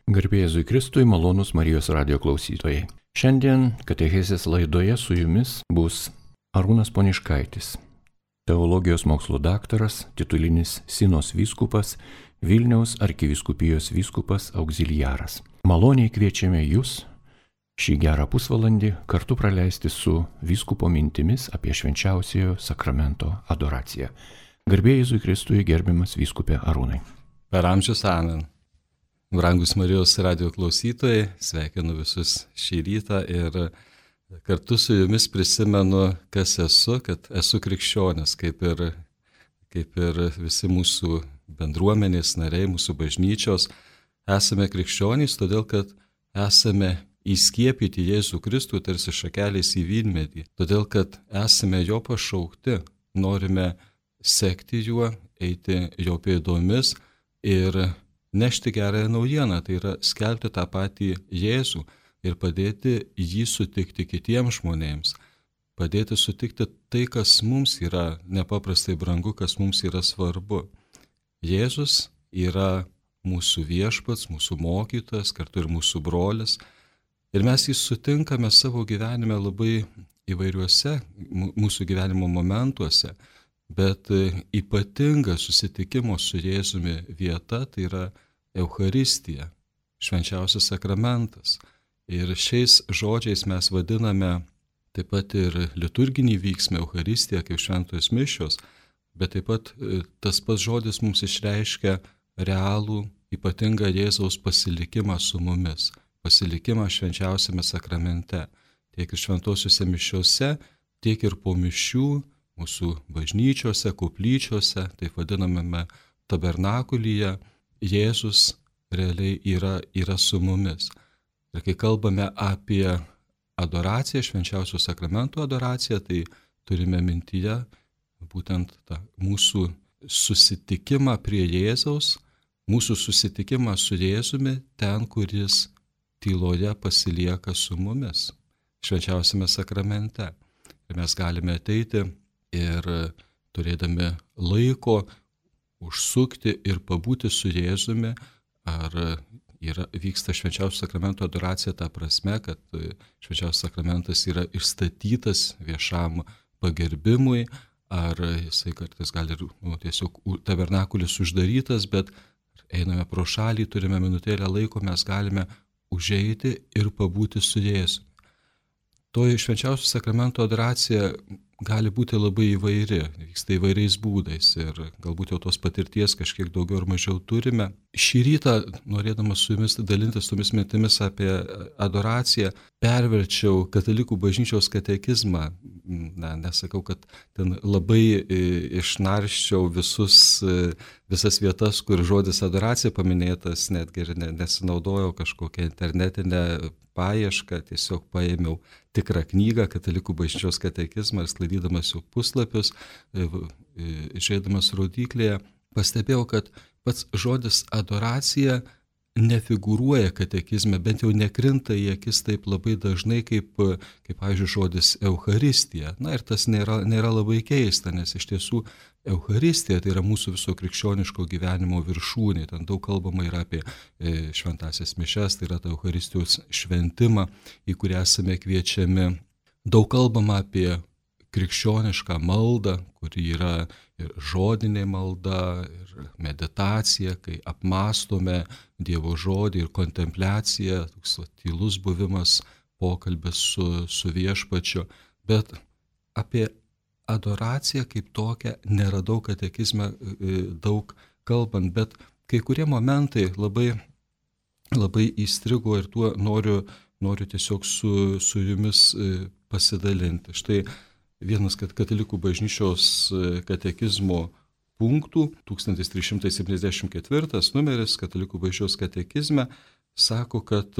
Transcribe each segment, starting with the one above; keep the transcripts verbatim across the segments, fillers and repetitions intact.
Garbė Jėzui Kristui, malonūs Marijos radijo klausytojai. Šiandien katechezės laidoje su jumis bus Arūnas Poniškaitis, teologijos mokslų daktaras, titulinis Sinos vyskupas, Vilniaus arkivyskupijos vyskupas auxiliaras. Maloniai kviečiame jūs šį gerą pusvalandį kartu praleisti su vyskupo mintimis apie švenčiausiojo sakramento adoraciją. Garbė Jėzui Kristui, gerbiamas vyskupė Arūnai. Per amžius amen. Brangus Marijos radijo klausytojai, sveikinu visus šį rytą ir kartu su jumis prisimenu, kas esu, kad esu krikščionis, kaip ir, kaip ir visi mūsų bendruomenės nariai, mūsų bažnyčios. Esame krikščionys, todėl kad esame įskiepyti Jėzų Kristų tarsi šakeliais į vynmedį, todėl kad esame jo pašaukti, norime sekti juo, eiti jo pėdomis ir nešti gerąją naujieną, tai yra skelbti tą patį Jėzų ir padėti jį sutikti kitiems žmonėms, padėti sutikti tai, kas mums yra nepaprastai brangu, kas mums yra svarbu. Jėzus yra mūsų viešpats, mūsų mokytojas, kartu ir mūsų brolis, ir mes jį sutinkame savo gyvenime labai įvairiuose mūsų gyvenimo momentuose. Bet ypatinga susitikimo su Jėzumi vieta tai yra Eucharistija, švenčiausias sakramentas. Ir šiais žodžiais mes vadiname taip pat ir liturginį vyksmą Eucharistiją kaip šventos mišios, bet taip pat tas pats žodis mums išreiškia realų, ypatingą Jėzaus pasilikimą su mumis, pasilikimą švenčiausiame sakramente, tiek ir šventosiuose mišiuose, tiek ir po mišių, mūsų bažnyčiose, koplyčiose, taip vadinamame tabernakulyje, Jėzus realiai yra, yra su mumis. Ir kai kalbame apie adoraciją, švenčiausio sakramento adoraciją, tai turime mintyje būtent tą mūsų susitikimą prie Jėzaus, mūsų susitikimą su Jėzumi ten, kuris tyloje pasilieka su mumis, švenčiausiame sakramente. Ir mes galime ateiti ir turėdami laiko užsukti ir pabūti su Jėzumi, ar yra, vyksta švenčiausio sakramento adoracija ta prasme, kad švenčiausias sakramentas yra išstatytas viešam pagerbimui, ar jisai kartais gali ir nu, tiesiog tabernakulis uždarytas, bet einame pro šalį, turime minutėlę laiko, mes galime užeiti ir pabūti su Jėzumi. Toji švenčiausio sakramento adoracija gali būti labai įvairi, vyksta įvairiais būdais ir galbūt jau tos patirties kažkiek daugiau ar mažiau turime. Šį rytą, norėdamas su jumis dalintis tomis mintimis apie adoraciją, perverčiau katalikų bažnyčios katekizmą. Na, nesakau, kad ten labai išnarščiau visus, visas vietas, kur žodis adoracija paminėtas, netgi ir nesinaudojau kažkokią internetinę paiešką, tiesiog paėmiau tikrą knygą, katalikų bažnyčios katekizmą ir sklaidydamas jų puslapius, žiūrėdamas rodyklėje, pastebėjau, kad pats žodis adoracija nefigūruoja katekizme, bent jau nekrinta į akis taip labai dažnai, kaip, kaip pavyzdžiui, žodis Eucharistija. Na ir tas nėra, nėra labai keista, nes iš tiesų Eucharistija tai yra mūsų viso krikščioniško gyvenimo viršūnė. Ten daug kalbama yra apie šventąsias mišias, tai yra ta Eucharistijos šventimą, į kurią esame kviečiami. Daug kalbama apie krikščionišką maldą, kuri yra ir žodinė malda, ir meditacija, kai apmąstome Dievo žodį ir kontempliacija, toks tylus buvimas, pokalbis su, su viešpačiu. Bet apie adoraciją kaip tokią neradau katekizme daug kalbant, bet kai kurie momentai labai, labai įstrigo ir tuo noriu, noriu tiesiog su, su jumis pasidalinti. Štai vienas katalikų bažnyčios katekizmo punktų, tūkstantis trys šimtai septyniasdešimt ketvirtas numeris katalikų bažnyčios katekizme, sako, kad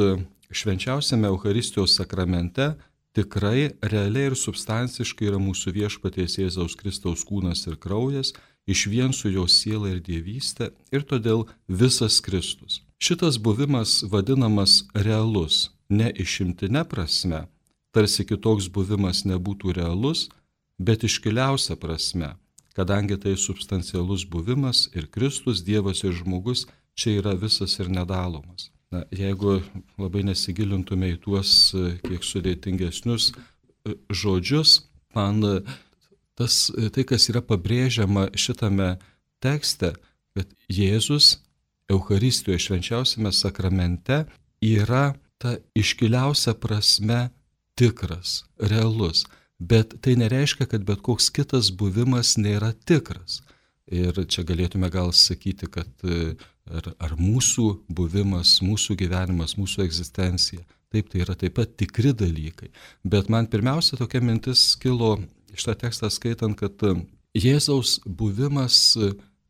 švenčiausiame Eucharistijos sakramente tikrai, realiai ir substanciškai yra mūsų viešpaties Jėzaus Kristaus kūnas ir kraujas, išvien su jo siela ir dievystė, ir todėl visas Kristus. Šitas buvimas vadinamas realus, ne išimtine prasme, tarsi kitoks buvimas nebūtų realus, bet iškiliausia prasme, kadangi tai substancialus buvimas ir Kristus, Dievas ir žmogus čia yra visas ir nedalomas. Na, jeigu labai nesigilintume į tuos kiek sudėtingesnius žodžius, man tas, tai, kas yra pabrėžiama šitame tekste, kad Jėzus Eucharistijoje, švenčiausiame sakramente, yra ta iškiliausia prasme tikras, realus. Bet tai nereiškia, kad bet koks kitas buvimas nėra tikras. Ir čia galėtume gal sakyti, kad ar, ar mūsų buvimas, mūsų gyvenimas, mūsų egzistencija, taip, tai yra taip pat tikri dalykai. Bet man pirmiausia tokia mintis kilo šitą tekstą skaitant, kad Jėzaus buvimas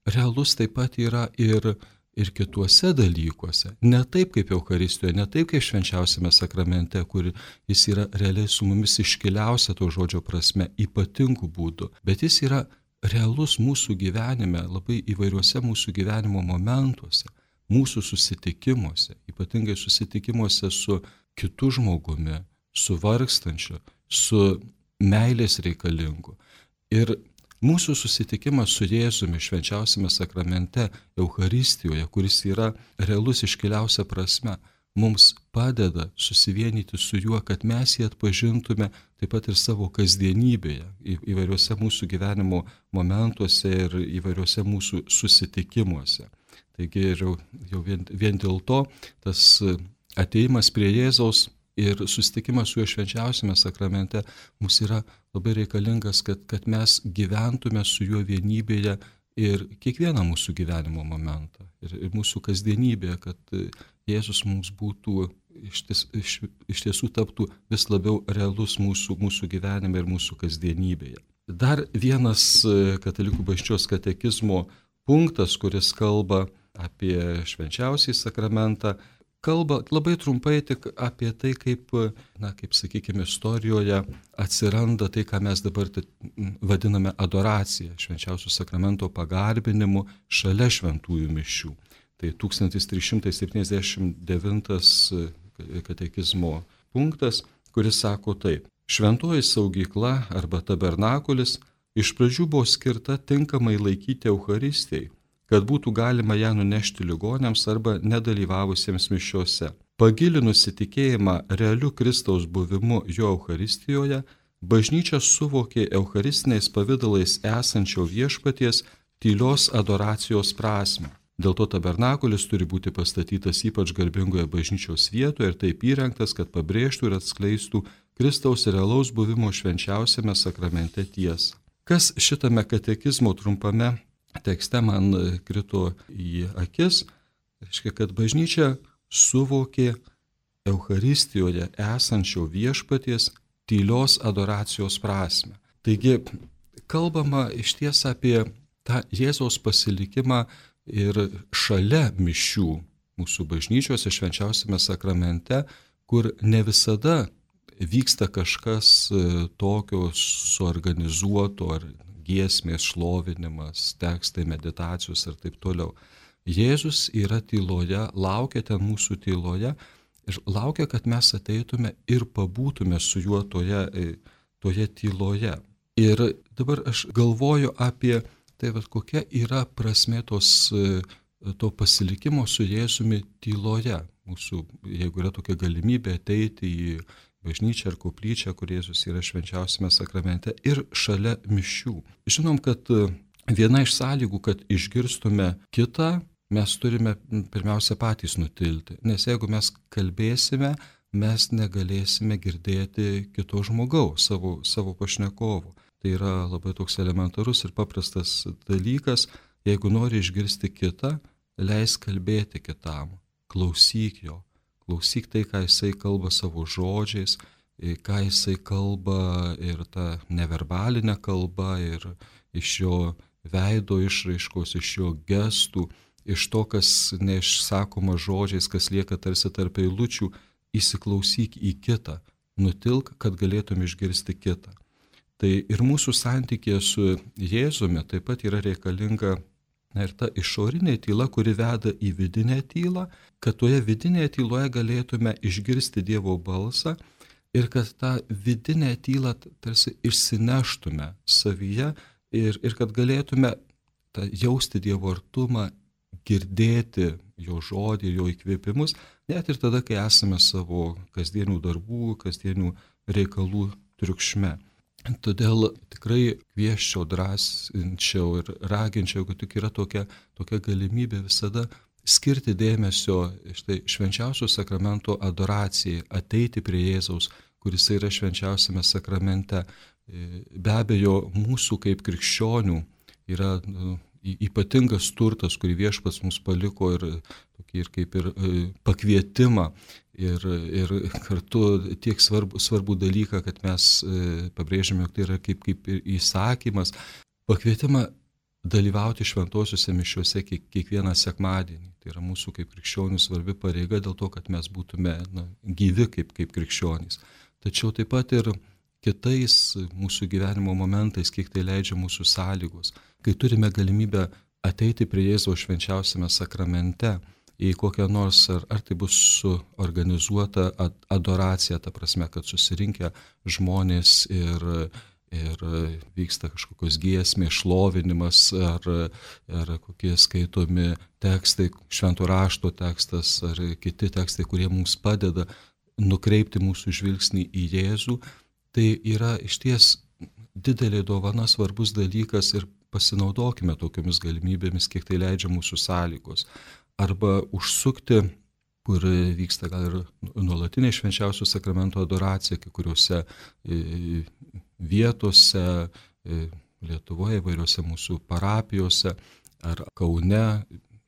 realus taip pat yra ir ir kituose dalykuose. Ne taip kaip Eucharistijoje, ne taip kaip švenčiausiame sakramente, kur jis yra realiai su mumis iškiliausia to žodžio prasme, ypatingų būdų, bet jis yra realus mūsų gyvenime, labai įvairiuose mūsų gyvenimo momentuose, mūsų susitikimuose, ypatingai susitikimuose su kitu žmogumi, su vargstančiu, su meilės reikalingu. Ir mūsų susitikimas su Jėzumi švenčiausiame sakramente, Eucharistijoje, kuris yra realus iškiliausia prasme, mums padeda susivienyti su juo, kad mes jį atpažintume taip pat ir savo kasdienybėje, įvairiuose mūsų gyvenimo momentuose ir įvairiuose mūsų susitikimuose. Taigi jau, jau vien, vien dėl to tas ateimas prie Jėzaus ir susitikimas su juo švenčiausiame sakramente mums yra labai reikalingas, kad, kad mes gyventume su juo vienybėje ir kiekvieną mūsų gyvenimo momentą. Ir, ir mūsų kasdienybėje, kad Jėzus mums būtų, iš, ties, iš, iš tiesų taptų vis labiau realus mūsų, mūsų gyvenime ir mūsų kasdienybėje. Dar vienas Katalikų bažnyčios katekizmo punktas, kuris kalba apie švenčiausiąjį sakramentą, kalba labai trumpai tik apie tai, kaip, na, kaip sakykime, istorijoje atsiranda tai, ką mes dabar vadiname adoracija, švenčiausio sakramento pagarbinimu šalia šventųjų mišių. Tai tūkstantis trys šimtai septyniasdešimt devintas katekizmo punktas, kuris sako taip: šventoji saugykla arba tabernakulis iš pradžių buvo skirta tinkamai laikyti Eucharistijai, kad būtų galima ją nunešti ligoniams arba nedalyvavusiems mišiose. Pagilinus įtikėjimą realiu Kristaus buvimu jo Eucharistijoje, bažnyčia suvokė eucharistiniais pavydalais esančio viešpaties tylios adoracijos prasmę. Dėl to tabernakulis turi būti pastatytas ypač garbingoje bažnyčios vietoje ir taip įrengtas, kad pabrėžtų ir atskleistų Kristaus realaus buvimo švenčiausiame sakramente tiesą. Kas šitame katekizmo trumpame tekste man krito į akis, reiškia, kad bažnyčia suvokė Eucharistijoje esančio viešpaties tylios adoracijos prasme. Taigi, kalbama iš ties apie tą Jėzaus pasilikimą ir šalia mišių mūsų bažnyčiose švenčiausiame sakramente, kur ne visada vyksta kažkas tokio suorganizuoto ar giesmės, šlovinimas, tekstai, meditacijos ir taip toliau. Jėzus yra tyloje, laukia ten mūsų tyloje ir laukia, kad mes ateitume ir pabūtume su juo toje, toje tyloje. Ir dabar aš galvoju apie tai, vat, kokia yra prasmė tos, to pasilikimo su Jėzumi tyloje. Mūsų, jeigu yra tokia galimybė ateiti į bažnyčią ar koplyčią, kur Jėzus yra švenčiausiame sakramente ir šalia mišių. Žinom, kad viena iš sąlygų, kad išgirstume kitą, mes turime pirmiausia patys nutilti. Nes jeigu mes kalbėsime, mes negalėsime girdėti kito žmogaus, savo, savo pašnekovo. Tai yra labai toks elementarus ir paprastas dalykas. Jeigu nori išgirsti kitą, leisk kalbėti kitam, klausyk jo. Klausyk tai, ką jisai kalba savo žodžiais, ką jisai kalba ir ta neverbalinė kalba, ir iš jo veido išraiškos, iš jo gestų, iš to, kas neišsakoma žodžiais, kas lieka tarsi tarp eilučių, įsiklausyk į kitą, nutilk, kad galėtum išgirsti kitą. Tai ir mūsų santykėje su Jėzumi taip pat yra reikalinga ir ta išorinė tyla, kuri veda į vidinę tylą, kad toje vidinėje tyloje galėtume išgirsti Dievo balsą ir kad tą vidinę tylą tarsi išsineštume savyje ir, ir kad galėtume tą jausti Dievo artumą, girdėti jo žodį ir jo įkvėpimus, net ir tada, kai esame savo kasdienių darbų, kasdienių reikalų triukšme. Todėl tikrai kvieščiau, drąsinčiau ir raginčiau, kad tik yra tokia, tokia galimybė visada skirti dėmesio štai švenčiausio sakramento adoracijai, ateiti prie Jėzaus, kuris yra švenčiausiame sakramente. Be abejo, mūsų kaip krikščionių yra ypatingas turtas, kurį Viešpats mums paliko ir, ir kaip ir pakvietimą ir, ir kartu tiek svarbu, svarbu dalyką, kad mes pabrėžiame, jog tai yra kaip, kaip įsakymas, pakvietimą dalyvauti šventosiuose mišiuose kiek, kiekvieną sekmadienį. Tai yra mūsų kaip krikščionių svarbi pareiga dėl to, kad mes būtume na, gyvi kaip, kaip krikščionys. Tačiau taip pat ir kitais mūsų gyvenimo momentais, kiek tai leidžia mūsų sąlygos, kai turime galimybę ateiti prie Jėzaus švenčiausiame sakramente į kokią nors, ar, ar tai bus suorganizuota adoracija, ta prasme, kad susirinkę žmonės ir, ir vyksta kažkokios giesmės, šlovinimas, ar, ar kokie skaitomi tekstai, švento rašto tekstas, ar kiti tekstai, kurie mums padeda nukreipti mūsų žvilgsnį į Jėzų, tai yra išties didelė dovana, svarbus dalykas ir pasinaudokime tokiamis galimybėmis, kiek tai leidžia mūsų sąlygos. Arba užsukti, kur vyksta gal ir nuolatinė švenčiausio sakramento adoracija, kai kuriuose vietose, Lietuvoje, įvairiuose mūsų parapijose ar Kaune,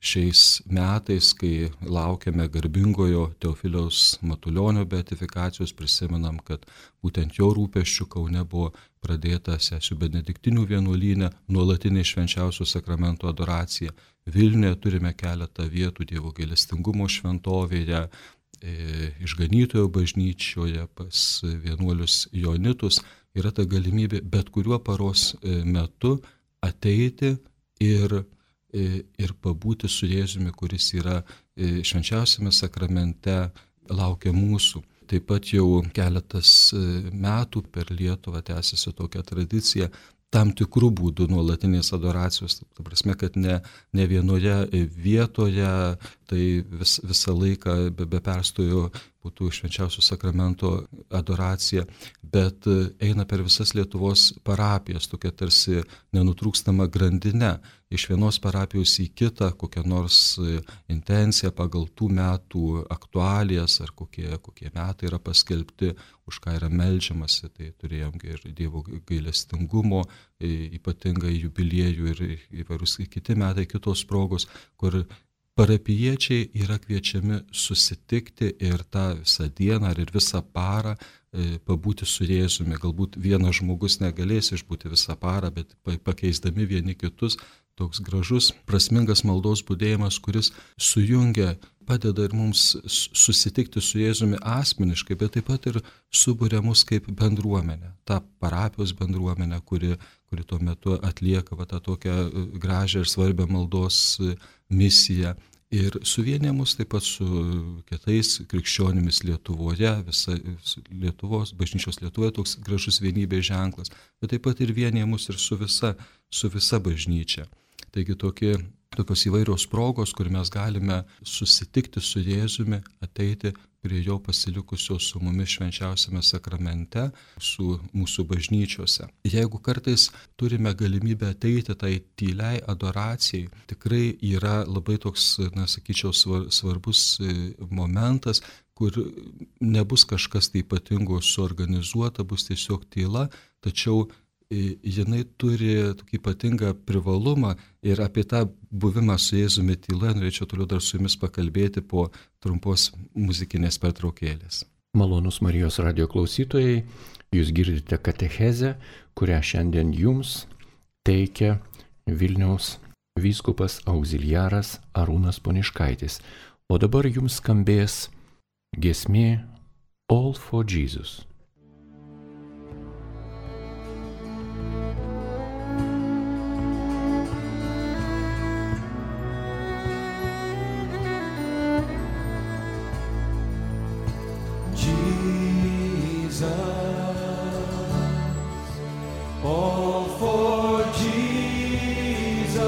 šiais metais, kai laukiame garbingojo Teofiliaus Matulionio beatifikacijos, prisimenam, kad būtent jo rūpesčių Kaune buvo pradėta sesių benediktinių vienuolyne nuolatinė švenčiausio sakramento adoracija. Vilniuje turime keletą vietų Dievo gailestingumo šventovėje, Išganytojo bažnyčioje, pas vienuolius Joanitus. Yra ta galimybė bet kuriuo paros metu ateiti ir ir pabūti su Jėzumi, kuris yra švenčiausiame sakramente, laukia mūsų. Taip pat jau keletas metų per Lietuvą tęsiasi tokia tradicija, tam tikrų būdų nuolatinės adoracijos, ta prasme, kad ne, ne vienoje vietoje, tai vis, visą laiką be, be perstojo būtų švenčiausio sakramento adoracija, bet eina per visas Lietuvos parapijas, tokia tarsi nenutrūkstama grandinė, iš vienos parapijos į kitą, kokią nors intenciją pagal tų metų aktualijas, ar kokie, kokie metai yra paskelbti, už ką yra meldžiamasi. Tai turėjom ir Dievo gailestingumo, ypatingai jubiliejų ir įvairūs kiti metai, kitos progos, kur parapijiečiai yra kviečiami susitikti ir tą visą dieną ar ir visą parą pabūti su Jėzumi. Galbūt vienas žmogus negalės išbūti visą parą, bet pakeisdami vieni kitus, toks gražus, prasmingas maldos būdėjimas, kuris sujungia, padeda ir mums susitikti su Jėzumi asmeniškai, bet taip pat ir suburia mus kaip bendruomenę, tą parapijos bendruomenę, kuri, kuri tuo metu atlieka va, tą tokią gražią ir svarbią maldos misiją. Ir suvienė mus taip pat su kitais krikščionimis Lietuvoje, visa Lietuvos, bažnyčios Lietuvoje toks gražus vienybės ženklas, bet taip pat ir vienė mus ir su visa, su visa bažnyčia. Taigi tokie, tokios įvairios progos, kur mes galime susitikti su Jėzumi, ateiti prie jo pasilikusio su mumis švenčiausiame sakramente, su mūsų bažnyčiose. Jeigu kartais turime galimybę ateiti tai tyliai adoracijai, tikrai yra labai toks, na, sakyčiau, svarbus momentas, kur nebus kažkas tai ypatingo suorganizuota, bus tiesiog tyla, tačiau jinai turi tokį ypatingą privalumą ir apie tą buvimą su Jėzumi tyloje norėčiau toliau dar su jumis pakalbėti po trumpos muzikinės pertraukėlės. Malonūs Marijos radijo klausytojai, jūs girdite katechezę, kurią šiandien jums teikia Vilniaus vyskupas augziliaras Arūnas Poniškaitis. O dabar jums skambės giesmė All for Jesus. All for Jesus,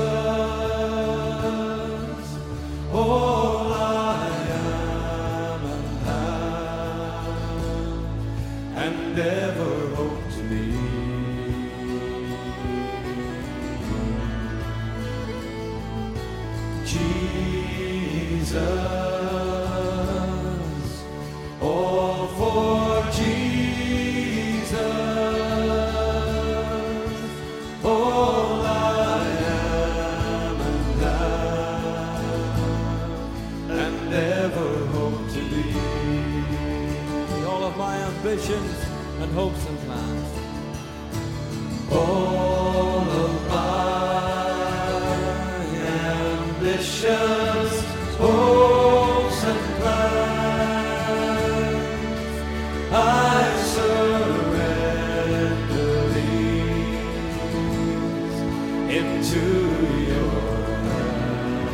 ambitions and hopes and plans. All of my ambitions, hopes and plans, I surrender these into your hands.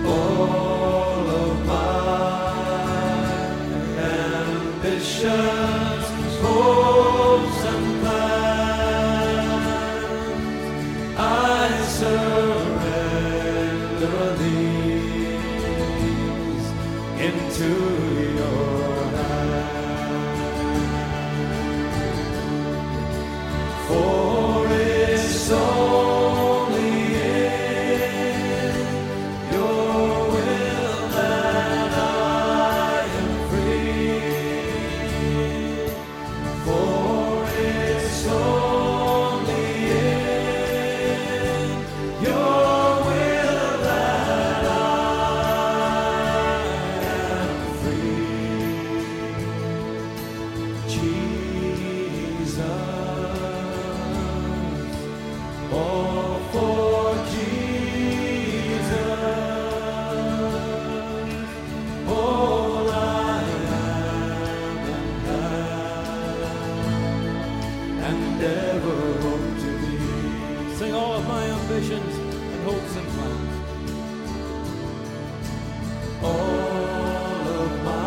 All of my ambitions, hopes and plans, I surrender these into your hands. For it's only in your will that I am free. For it's only in your will that I am free. Jesus, all for Jesus, all I am and have, and ever hope to be. Sing all of my ambitions and hopes and plans. All of my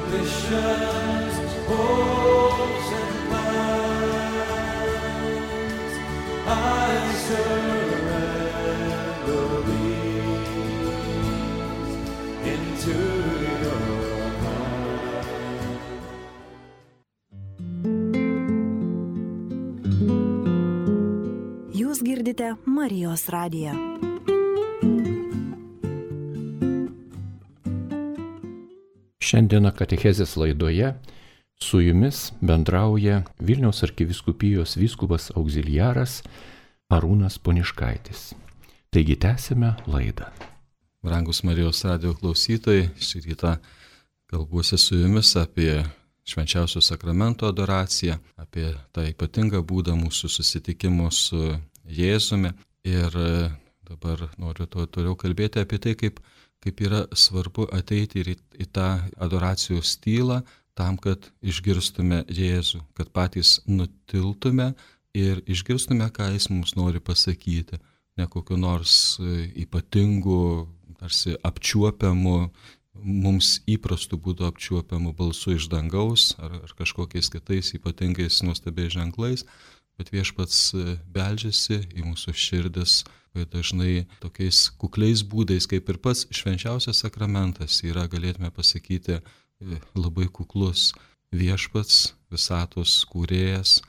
ambitions, hopes and plans, I surrender these into your hands. Jūs girdite Marijos radiją. Šiandieną katechezės laidoje su jumis bendrauja Vilniaus arkivyskupijos vyskupas auxiliaras Arūnas Poniškaitis. Taigi tęsime laidą. Brangus Marijos radijo klausytojai, šį rytą kalbuosi su jumis apie švenčiausio sakramento adoraciją, apie tą ypatingą būdą mūsų susitikimo su Jėzumi. Ir dabar noriu to toliau kalbėti apie tai, kaip, kaip yra svarbu ateiti ir į, į tą adoracijos tylą, tam, kad išgirstume Jėzų, kad patys nutiltume ir išgirstume, ką Jis mums nori pasakyti, ne kokiu nors ypatingu, tarsi apčiuopiamu, mums įprastų būdų apčiuopiamų balsų iš dangaus ar, ar kažkokiais kitais ypatingais nuostabiais ženklais, bet Viešpats beldžiasi į mūsų širdis, bet dažnai tokiais kukliais būdais, kaip ir pats švenčiausias sakramentas yra, galėtume pasakyti, labai kuklus. Viešpats, visatos kūrėjas,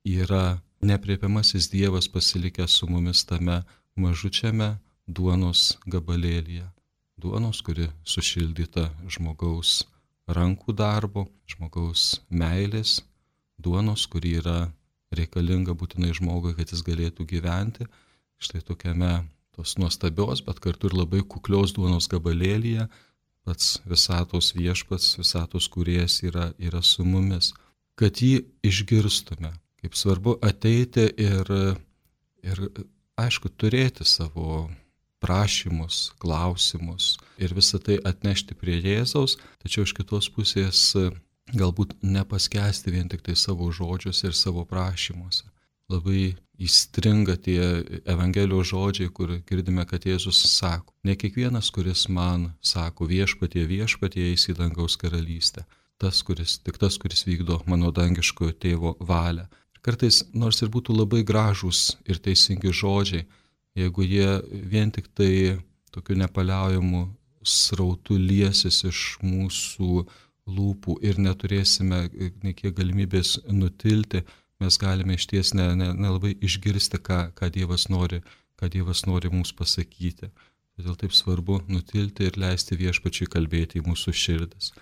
yra nepriepiamasis Dievas pasilikęs su mumis tame mažučiame duonos gabalėlyje. Duonos, kuri sušildyta žmogaus rankų darbo, žmogaus meilės, duonos, kuri yra reikalinga būtinai žmogui, kad jis galėtų gyventi. Štai tokiame tos nuostabios, bet kartu ir labai kuklios duonos gabalėlyje pats visatos Viešpats, visatos kūrėjas yra, yra su mumis. Kad jį išgirstume, kaip svarbu ateiti ir, ir aišku, turėti savo prašymus, klausimus ir visą tai atnešti prie Jėzaus, tačiau iš kitos pusės galbūt nepaskęsti vien tik tai savo žodžiuose ir savo prašymuose. Labai įstringa tie Evangelijos žodžiai, kur girdime, kad Jėzus sako, ne kiekvienas, kuris man sako viešpatie, viešpatie, eis į dangaus karalystę, tas, kuris, tik tas, kuris vykdo mano dangiškojo tėvo valią. Kartais, nors ir būtų labai gražūs ir teisingi žodžiai, jeigu jie vien tik tai tokiu nepaliaujamu srautu liesis iš mūsų lūpų ir neturėsime nekiek galimybės nutilti, mes galime išties nelabai ne, ne išgirsti, ką, ką, Dievas nori, ką Dievas nori mums pasakyti. Todėl taip svarbu nutilti ir leisti Viešpačiui kalbėti į mūsų širdis.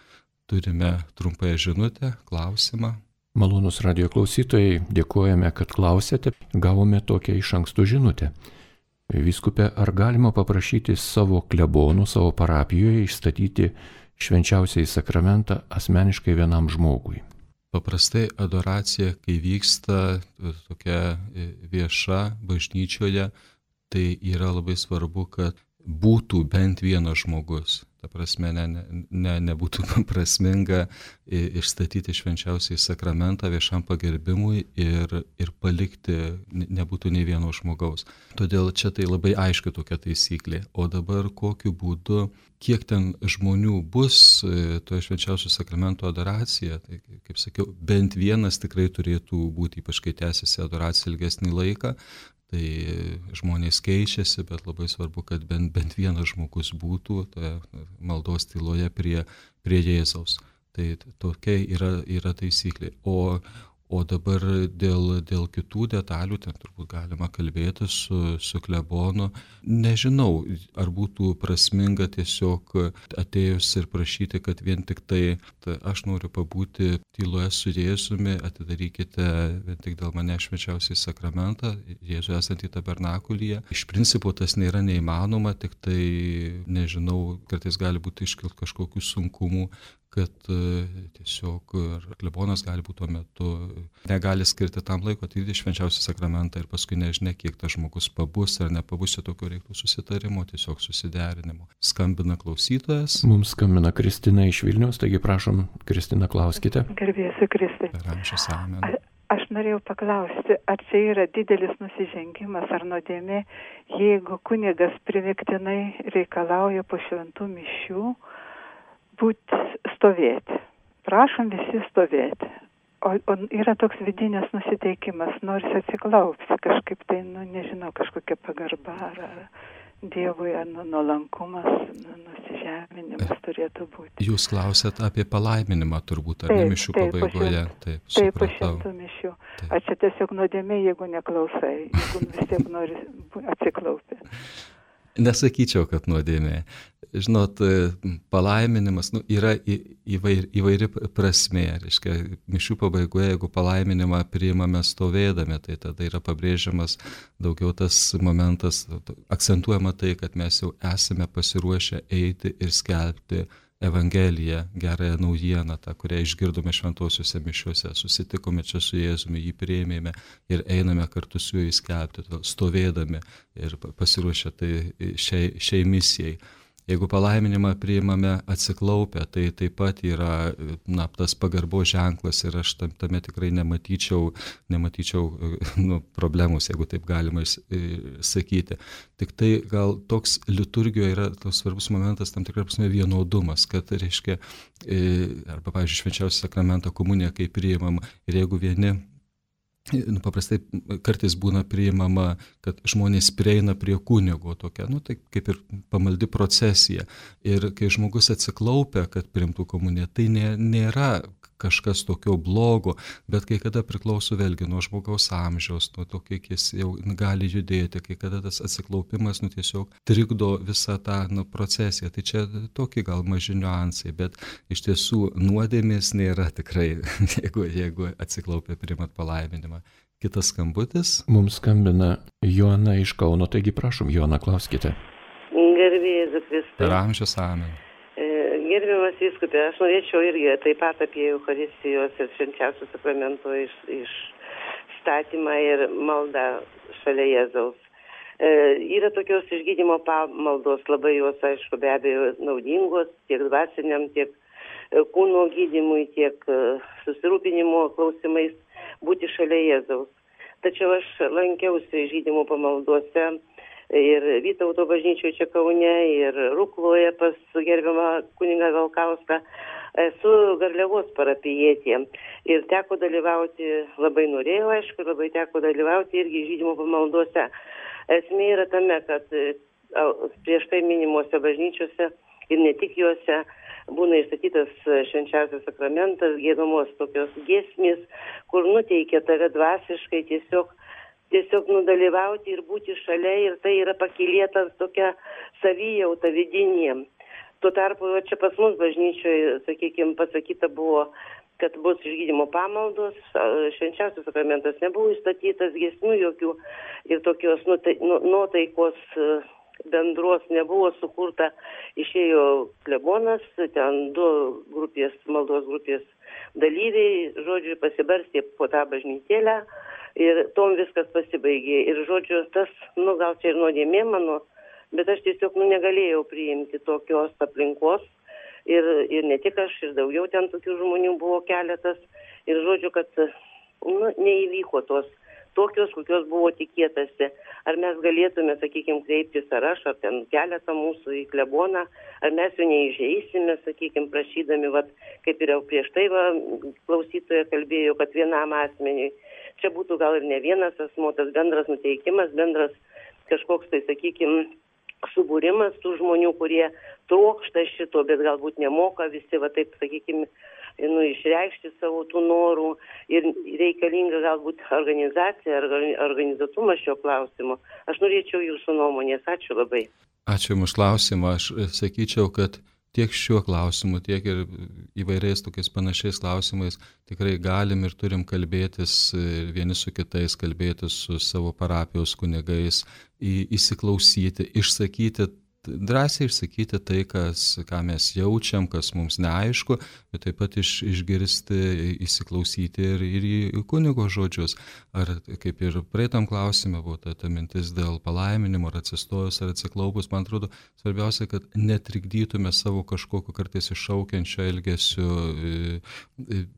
Turime trumpąją žinutę, klausimą. Malonūs radijo klausytojai, dėkojame, kad klausėte. Gavome tokią iš anksto žinutę. Vyskupe, ar galima paprašyti savo klebonų, savo parapijoje išstatyti švenčiausiąjį sakramentą asmeniškai vienam žmogui? Paprastai adoracija, kai vyksta tokia vieša bažnyčioje, tai yra labai svarbu, kad būtų bent vienas žmogus. Ta prasme, ne, ne, nebūtų prasminga išstatyti švenčiausiai sakramentą viešam pagerbimui ir, ir palikti, nebūtų nei vieno žmogaus. Todėl čia tai labai aiški tokia taisyklė. O dabar kokiu būdu, kiek ten žmonių bus toje švenčiausio sakramento adoracija, tai kaip sakiau, bent vienas tikrai turėtų būti, ypač kai tęsiasi adoracija ilgesnį laiką. Tai žmonės keičiasi, bet labai svarbu, kad bent, bent vienas žmogus būtų toje maldos tyloje prie, prie Jėzaus. Tai tokia yra, yra taisyklė. O, o dabar dėl, dėl kitų detalių, ten turbūt galima kalbėti su, su klebonu. Nežinau, ar būtų prasminga tiesiog atėjus ir prašyti, kad vien tik tai, tai aš noriu pabūti tyloje su Jėzumi, atidarykite vien tik dėl mane švenčiausiai sakramentą, Jėzų esantį tabernakulyje. Iš principo tas nėra neįmanoma, tik tai, nežinau, kartais gali būti iškilt kažkokių sunkumų, kad tiesiog klebonas gali būti tuo metu, negali skirti tam laiko atidėti švenčiausią sakramentą ir paskui nežinia, kiek tas žmogus pabus ar nepabus, čia tokio reiktų susitarimo, tiesiog susiderinimo. Skambina klausytojas. Mums skambina Kristina iš Vilniaus, taigi prašom, Kristina, klauskite. Garbėsiu Kristai. Ramščius amen. Aš norėjau paklausti, ar čia yra didelis nusižengimas ar nuodėmė, jeigu kunigas primiktinai reikalauja po šventų mišių būti stovėti. Prašom visi stovėti. O, o yra toks vidinis nusiteikimas, nors atsiklaupsi kažkaip tai, nu, nežinau, kažkokia pagarba ar, ar Dievui, ar nu, nuolankumas, nu, nusižeminimas turėtų būti. Jūs klausėt apie palaiminimą turbūt, ar ne mišių pabaigoje? Taip, taip, po šimtų mišių. Taip. Ar čia tiesiog nuodėmė, jeigu neklausai, jeigu vis tiek nori atsiklaupti? Nesakyčiau, kad nuodėmė. Žinot, palaiminimas nu, yra įvair, įvairi prasmė. Reiškia, mišių pabaigoje, jeigu palaiminimą priimame stovėdami, tai tada yra pabrėžiamas daugiau tas momentas, akcentuojama tai, kad mes jau esame pasiruošę eiti ir skelbti Evangeliją, gerąją naujieną, tą, kurią išgirdome šventosiuose mišiuose, susitikome čia su Jėzumi, jį priėmėme ir einame kartu su juo įskelbti, stovėdami ir pasiruošę tai šiai, šiai misijai. Jeigu palaiminimą priimame atsiklaupę, tai taip pat yra na, tas pagarbos ženklas ir aš tame tikrai nematyčiau, nematyčiau nu, problemus, jeigu taip galima sakyti. Tik tai gal toks liturgijoje yra toks svarbus momentas, tam tikrai prasme vienodumas, kad reiškia, arba pavyzdžiui, švenčiausią sakramentą komuniją, kai priimam, ir jeigu vieni Nu, paprastai kartais būna priimama, kad žmonės prieina prie kunigo tokia, nu, tai kaip ir pamaldi procesija. Ir kai žmogus atsiklaupia, kad priimtų komuniją, tai nė, nėra kažkas tokio blogo, bet kai kada priklauso vėlgi nuo žmogaus amžiaus, nuo to, kiek jis jau gali judėti, kai kada tas atsiklaupimas nu, tiesiog trikdo visą tą nu, procesiją. Tai čia tokie gal maži niuansai, bet iš tiesų nuodėmės nėra tikrai, jeigu, jeigu atsiklaupia priimat palaiminimą. Kitas skambutis. Mums skambina Joana iš Kauno, taigi prašom, Joana, klauskite. Garbėsiu Kristui. Per amžius amen. Gerbiamas vyskupė, aš norėčiau irgi taip pat apie Eucharistijos ir švenčiausio sakramento iš, išstatymą ir maldą šalia Jėzaus. E, yra tokios išgydymo pamaldos, labai jos, aišku, be abejo naudingos tiek dvasiniam, tiek kūno gydymui, tiek susirūpinimo klausimais būti šalia Jėzaus. Tačiau aš lankiausi išgydymo pamaldose ir Vytauto bažnyčioje čia Kaune, ir Rukloje pas gerbiamą kunigą Galkauską. Esu Garliavos parapijietė ir teko dalyvauti, labai norėjau, aišku, labai teko dalyvauti irgi išgydymo pamaldose. Esmė yra tame, kad prieš tai minimuose bažnyčiose ir ne tik juose būna išstatytas švenčiausias sakramentas, giedamos tokios giesmės, kur nuteikia tave dvasiškai tiesiog tiesiog nudalyvauti ir būti šalia, ir tai yra pakylėtas tokia savijauta vidinė. Tuo tarpu čia pas mus bažnyčioje, sakykime, pasakyta buvo kad bus išgydymo pamaldos, švenčiausias sakramentas nebuvo įstatytas, giesmių jokių ir tokios nuotaikos bendros nebuvo sukurta. Išėjo klebonas, ten du grupės, maldos grupės dalyviai, žodžiu, pasibarstė po tą bažnytėlę ir tom viskas pasibaigė. Ir žodžiu, tas, nu gal čia ir nuodėmė mano, bet aš tiesiog nu, negalėjau priimti tokios aplinkos. Ir, ir ne tik aš, ir daugiau ten tokių žmonių buvo keletas. Ir žodžiu, kad nu, neįvyko tos tokios, kokios buvo tikėtasi. Ar mes galėtume, sakykime, kreiptis, ar aš, ar ten keletą mūsų į kleboną, ar mes jo neįžeisime, sakykime, prašydami, vat, kaip ir jau prieš tai va, klausytoja kalbėjo, kad vienam asmeniui. Čia būtų gal ir ne vienas asmuo, tas bendras nuteikimas, bendras kažkoks tai, sakykime, subūrimas tų žmonių, kurie trokšta šito, bet galbūt nemoka visi, va taip, sakykime, nu, išreikšti savo tų norų ir reikalinga galbūt organizacija ar organizuotumas šio klausimo. Aš norėčiau jūsų nuomonės. Ačiū labai. Ačiū Jums už klausimą. Aš sakyčiau, kad tiek šiuo klausimu, tiek ir įvairiais tokiais panašiais klausimais tikrai galim ir turim kalbėtis vieni su kitais, kalbėtis su savo parapijos kunigais, įsiklausyti, išsakyti, drąsiai išsakyti tai, kas, ką mes jaučiam, kas mums neaišku, bet taip pat iš, išgirsti, įsiklausyti ir, ir į kunigo žodžius. Ar kaip ir praeitam klausime buvo ta, ta mintis dėl palaiminimo, ar atsistojus, ar atsiklaupus, man atrodo, svarbiausia, kad netrikdytume savo kažkokio kartais iššaukiančio elgesio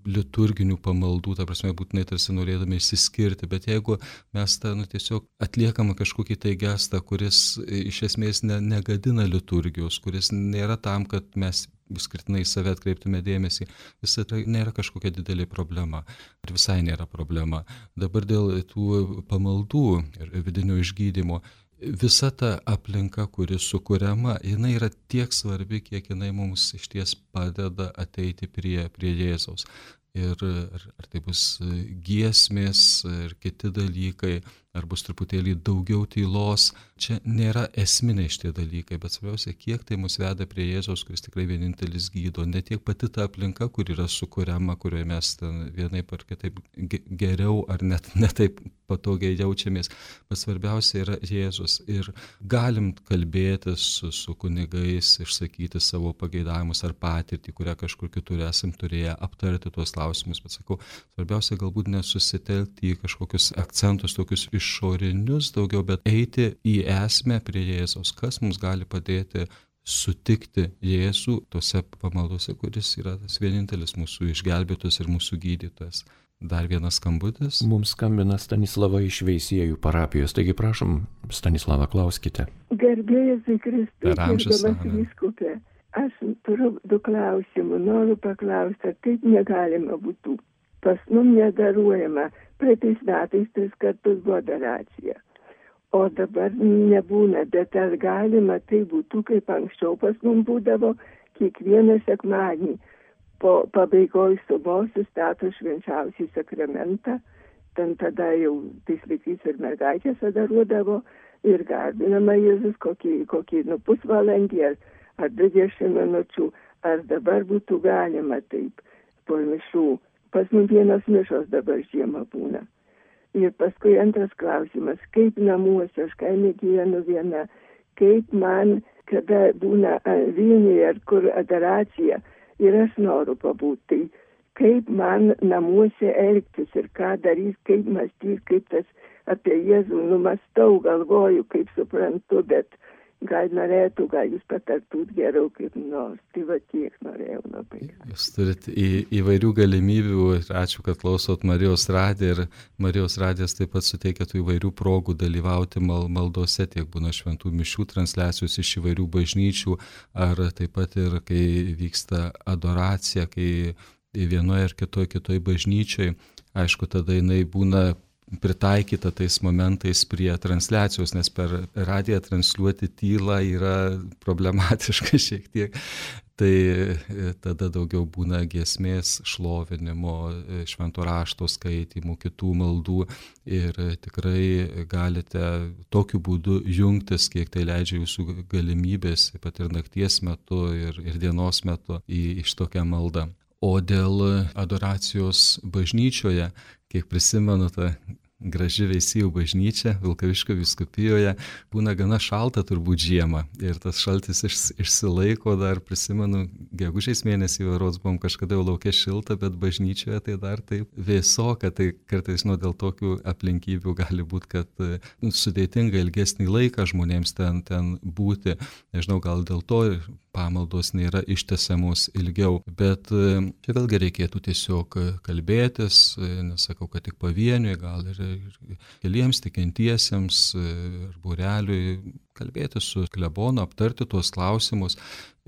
liturginių pamaldų, ta prasme, būtinai tarsi norėdami išsiskirti, bet jeigu mes tą nu, tiesiog atliekame kažkokį tai gestą, kuris iš esmės ne, negadina liturgijos, kuris nėra tam, kad mes skirtinai save atkreiptume dėmesį, visai tai nėra kažkokia didelė problema. Ir visai nėra problema. Dabar dėl tų pamaldų ir vidinio išgydymo, visa ta aplinka, kuri sukuriama, jinai yra tiek svarbi, kiek jinai mums išties padeda ateiti prie, prie Jėzaus. Ir ar, ar tai bus giesmės ir kiti dalykai, ar bus truputėlį daugiau tylos, čia nėra esminiai šitie dalykai, bet svarbiausia, kiek tai mus veda prie Jėzaus, kuris tikrai vienintelis gydo, ne tiek pati ta aplinka, kur yra sukuriama, kurioje mes vienaip ar kitaip geriau ar net netaip patogiai jaučiamės, bet svarbiausia yra Jėzus. Ir galim kalbėtis su, su kunigais, išsakyti savo pageidavimus ar patirtį, kurią kažkur kitur esam turėję, aptarti tuos klausimus, bet sakau, svarbiausia galbūt nesusitelkti į kažkokius akcentus, tokius išorinius daugiau, bet eiti į esmę prie Jėzaus, kas mums gali padėti sutikti Jėzų tose pamaldose, kuris yra tas vienintelis mūsų išgelbėtojas ir mūsų gydytojas. Dar vienas skambutis. Mums skambina Stanislava iš Veisiejų parapijos, taigi prašom, Stanislava, klauskite. Garbėjas į Kristų, gerbiamas vyskupė, aš turiu du klausimus, noriu paklausti, ar taip negalima būtų. Pas mum nedaruojama, praeitais metais tris kartus buvo adoracija, o dabar nebūna, bet ar galima tai būtų, kaip anksčiau pas mum būdavo, kiekvieną sekmadienį. Po pabaigoj sumos sustato švenčiausią sakramentą, ten tada jau tais laikais ir mergaitės adoruodavo ir garbinama Jėzus kokį, kokį nu, pusvalandį ar, ar dvidešimt minučių, ar dabar būtų galima taip po mišų. Pas mums vienas mišos dabar žiemą būna. Ir paskui antras klausimas, kaip namuose, aš kaime gyvenu viena, kaip man, kada būna Vilniuje ar kur adoracija, ir aš noriu pabūti, tai kaip man namuose elgtis ir ką darys, kaip mąstyti, kaip tas apie Jėzų numastau, galvoju, kaip suprantu, bet gal norėtų, gal jūs patartūt geriau kaip nors. Tai va tiek norėjau labai. Jūs turite į, įvairių galimybių ir ačiū, kad klausot Marijos radiją ir Marijos radijas taip pat suteikia tų įvairių progų dalyvauti mal, maldose, tiek būna šventų mišių transliacijos iš įvairių bažnyčių, ar taip pat ir kai vyksta adoracija, kai vienoje ar kitoje kitoje bažnyčioje, aišku, tada jinai būna pritaikyta tais momentais prie transliacijos, nes per radiją transliuoti tylą yra problematiška šiek tiek. Tai tada daugiau būna giesmės, šlovinimo, švento rašto skaitymų, kitų maldų ir tikrai galite tokiu būdu jungtis, kiek tai leidžia jūsų galimybės, pat ir nakties metu ir, ir dienos metu į, iš tokią maldą. O dėl adoracijos bažnyčioje, kiek prisimenu tą graži Veisiejų bažnyčia Vilkaviškio vyskupijoje, būna gana šalta turbūt žiemą ir tas šaltis iš, išsilaiko, dar prisimenu, gegužės mėnesį varods buvom kažkada jau laukia šilta, bet bažnyčioje tai dar taip vėsoka, tai kartais nu, dėl tokių aplinkybių gali būti, kad nu, sudėtinga ilgesnį laiką žmonėms ten, ten būti, nežinau, gal dėl to pamaldos nėra ištęsiamos ilgiau, bet čia vėlgi reikėtų tiesiog kalbėtis, nesakau, kad tik pavieniui, gal ir keliems tikintiesiems ar būreliui kalbėti su klebonu, aptarti tuos klausimus.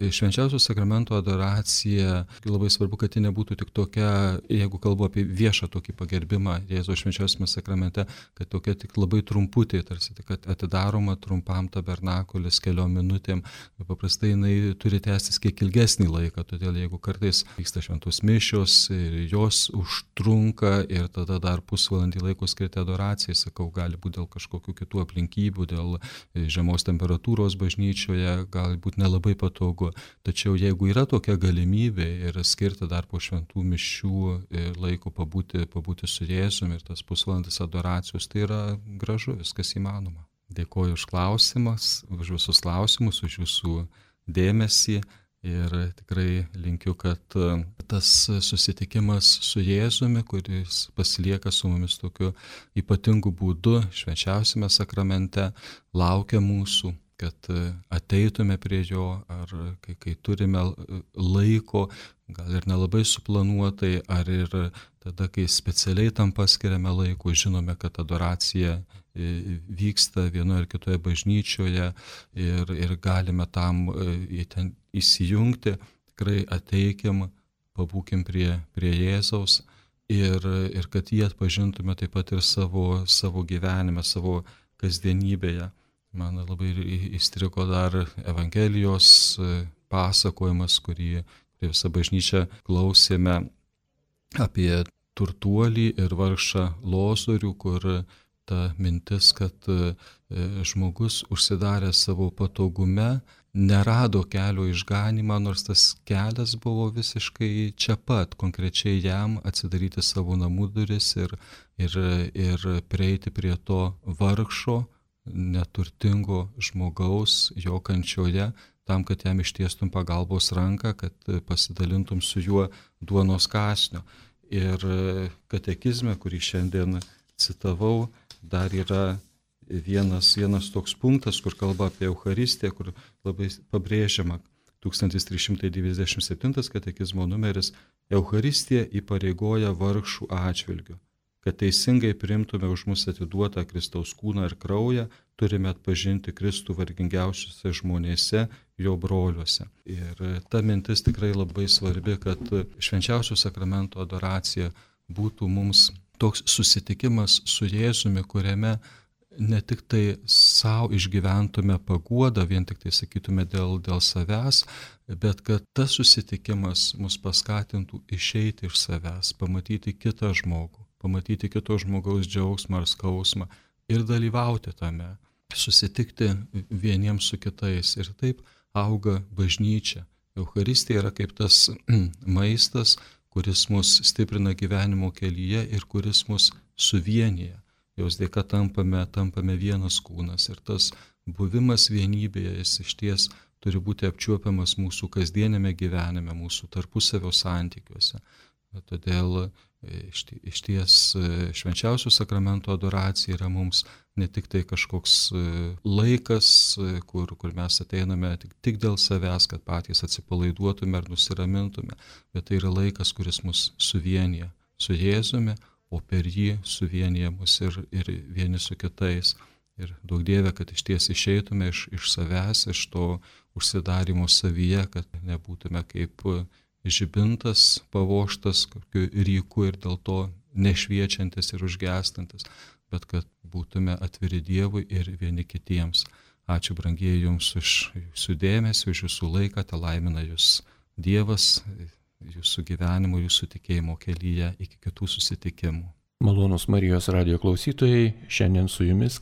Švenčiausio sakramento adoracija, labai svarbu, kad ji nebūtų tik tokia, jeigu kalbu apie viešą tokį pagerbimą Jėzaus švenčiausiame sakramente, kad tokia tik labai trumputė, tarsi tik atidaroma trumpam tabernakulis keliom minutėm. Paprastai jinai turi tęstis kiek ilgesnį laiką, todėl jeigu kartais vyksta šventos mišios ir jos užtrunka ir tada dar pusvalandį laiko skirti adoracijai, sakau, gali būti dėl kažkokių kitų aplinkybių, dėl žemos temperatūros bažnyčioje, gali būti nelabai patogu. Tačiau jeigu yra tokia galimybė ir skirti dar po šventų mišių laiko pabūti, pabūti su Jėzumi ir tas pusvalandis adoracijos, tai yra gražu, viskas įmanoma. Dėkoju už klausimus, už visus klausimus, už jūsų dėmesį ir tikrai linkiu, kad tas susitikimas su Jėzumi, kuris pasilieka su mumis tokiu ypatingu būdu švenčiausiame sakramente, laukia mūsų, kad ateitume prie jo, ar kai, kai turime laiko, gal ir nelabai suplanuotai, ar ir tada, kai specialiai tam paskiriame laiko, žinome, kad adoracija vyksta vienoje ar kitoje bažnyčioje ir, ir galime tam ten įsijungti, tikrai ateikim, pabūkim prie, prie Jėzaus ir, ir kad jį atpažintume taip pat ir savo, savo gyvenime, savo kasdienybėje. Man labai įstrigo dar Evangelijos pasakojimas, kurį visą bažnyčią klausėme apie turtuolį ir vargšą Lozorių, kur ta mintis, kad žmogus užsidaręs savo patogume nerado kelio išganymą, nors tas kelias buvo visiškai čia pat, konkrečiai jam atsidaryti savo namų duris ir, ir, ir prieiti prie to vargšo, neturtingo žmogaus jo kančioje, tam, kad jam ištiestum pagalbos ranką, kad pasidalintum su juo duonos kąsniu. Ir katekizme, kurį šiandien citavau, dar yra vienas, vienas toks punktas, kur kalba apie Eucharistiją, kur labai pabrėžiama tūkstantis trys šimtai devyniasdešimt septintas katekizmo numeris, Eucharistija įpareigoja vargšų atžvilgiu. Kad teisingai priimtume už mus atiduotą Kristaus kūną ir kraują, turime atpažinti Kristų vargingiausiuose žmonėse, jo broliuose. Ir ta mintis tikrai labai svarbi, kad švenčiausio sakramento adoracija būtų mums toks susitikimas su Jėzumi, kuriame ne tik tai savo išgyventume paguodą, vien tik tai sakytume dėl, dėl savęs, bet kad tas susitikimas mus paskatintų išeiti iš savęs, pamatyti kitą žmogų, pamatyti kito žmogaus džiaugsmą ar skausmą ir dalyvauti tame, susitikti vieniems su kitais. Ir taip auga bažnyčia. Eucharistija yra kaip tas maistas, kuris mus stiprina gyvenimo kelyje ir kuris mus suvienyje. Jos dėka tampame, tampame vienas kūnas ir tas buvimas vienybėje, jis išties turi būti apčiuopiamas mūsų kasdienėme gyvenime, mūsų tarpusavio santykiuose. Todėl išties švenčiausio sakramento adoracija yra mums ne tik tai kažkoks laikas, kur, kur mes ateiname tik, tik dėl savęs, kad patys atsipalaiduotume ar nusiramintume, bet tai yra laikas, kuris mus suvienyje su Jėzumi, o per jį suvienyje mus ir, ir vieni su kitais. Ir daug Dieve, kad išties išeitume iš, iš savęs, iš to užsidarimo savyje, kad nebūtume kaip žibintas pavoštas kokiu ryku ir dėl to nešviečiantis ir užgestantis, bet kad būtume atviri Dievui ir vieni kitiems. Ačiū, brangieji, Jums už Jūsų dėmesį, už Jūsų laiką, te laimina Jūs Dievas, Jūsų gyvenimo, Jūsų tikėjimo kelyje, iki kitų susitikimų. Malonūs Marijos radijo klausytojai, šiandien su Jumis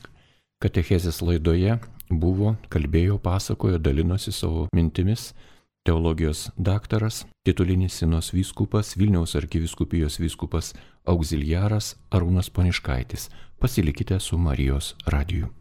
katechezės laidoje buvo, kalbėjo, pasakojo, dalinosi savo mintimis teologijos daktaras, titulinis Sinos vyskupas, Vilniaus arkivyskupijos vyskupas auxiliaras Arūnas Poniškaitis. Pasilikite su Marijos radiju.